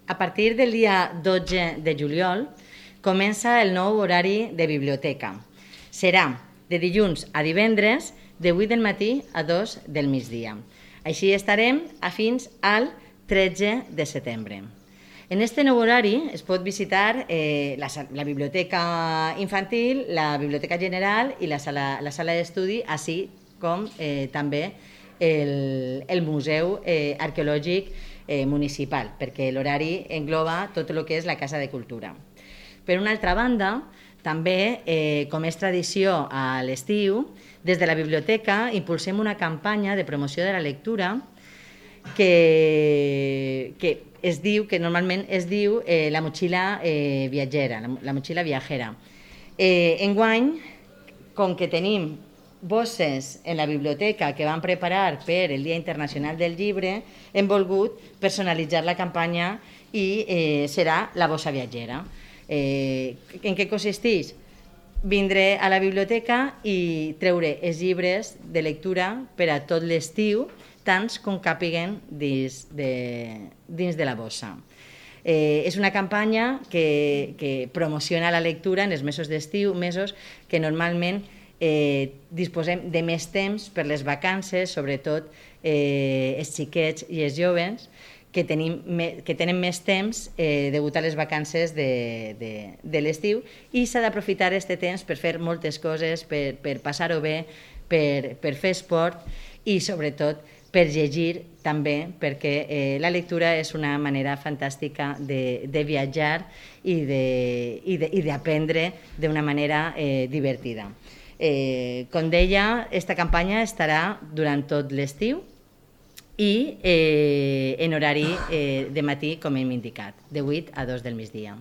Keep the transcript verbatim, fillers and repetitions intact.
A partir del dia dotze de juliol comença el nou horari de biblioteca. Serà de dilluns a divendres, de vuit del matí a dos del migdia. Així estarem a fins al tretze de setembre. En este nou horari es pot visitar eh, la, la biblioteca infantil, la biblioteca general i la sala, la sala d'estudi, així com eh, també el, el museu eh, arqueològic eh, municipal, perquè l'horari engloba tot el que és la Casa de Cultura. Per una altra banda, també, eh, com és tradició a l'estiu, des de la biblioteca impulsem una campanya de promoció de la lectura que, que es diu, que normalment es diu eh, la motxilla eh, viatgera, la, la motxilla viajera. Eh, enguany, com que tenim bosses en la biblioteca que van preparar per el Dia Internacional del Llibre, hem volgut personalitzar la campanya i eh, serà la bossa viatgera. Eh, en què consisteix? Vindré a la biblioteca i treure els llibres de lectura per a tot l'estiu, tants com càpiguen dins de, dins de la bossa. Eh, és una campanya que, que promociona la lectura en els mesos d'estiu, mesos que normalment eh, disposem de més temps per les vacances, sobretot eh, els xiquets i els joves, que, tenim, que tenen més temps eh, degut a les vacances de, de, de l'estiu, i s'ha d'aprofitar aquest temps per fer moltes coses, per, per passar-ho bé, per, per fer esport i sobretot per llegir també, perquè eh, la lectura és una manera fantàstica de, de viatjar i d'aprendre d'una manera eh, divertida. Eh, com deia, aquesta campanya estarà durant tot l'estiu i eh, en horari eh, de matí, com hem indicat, de vuit a dos del migdia.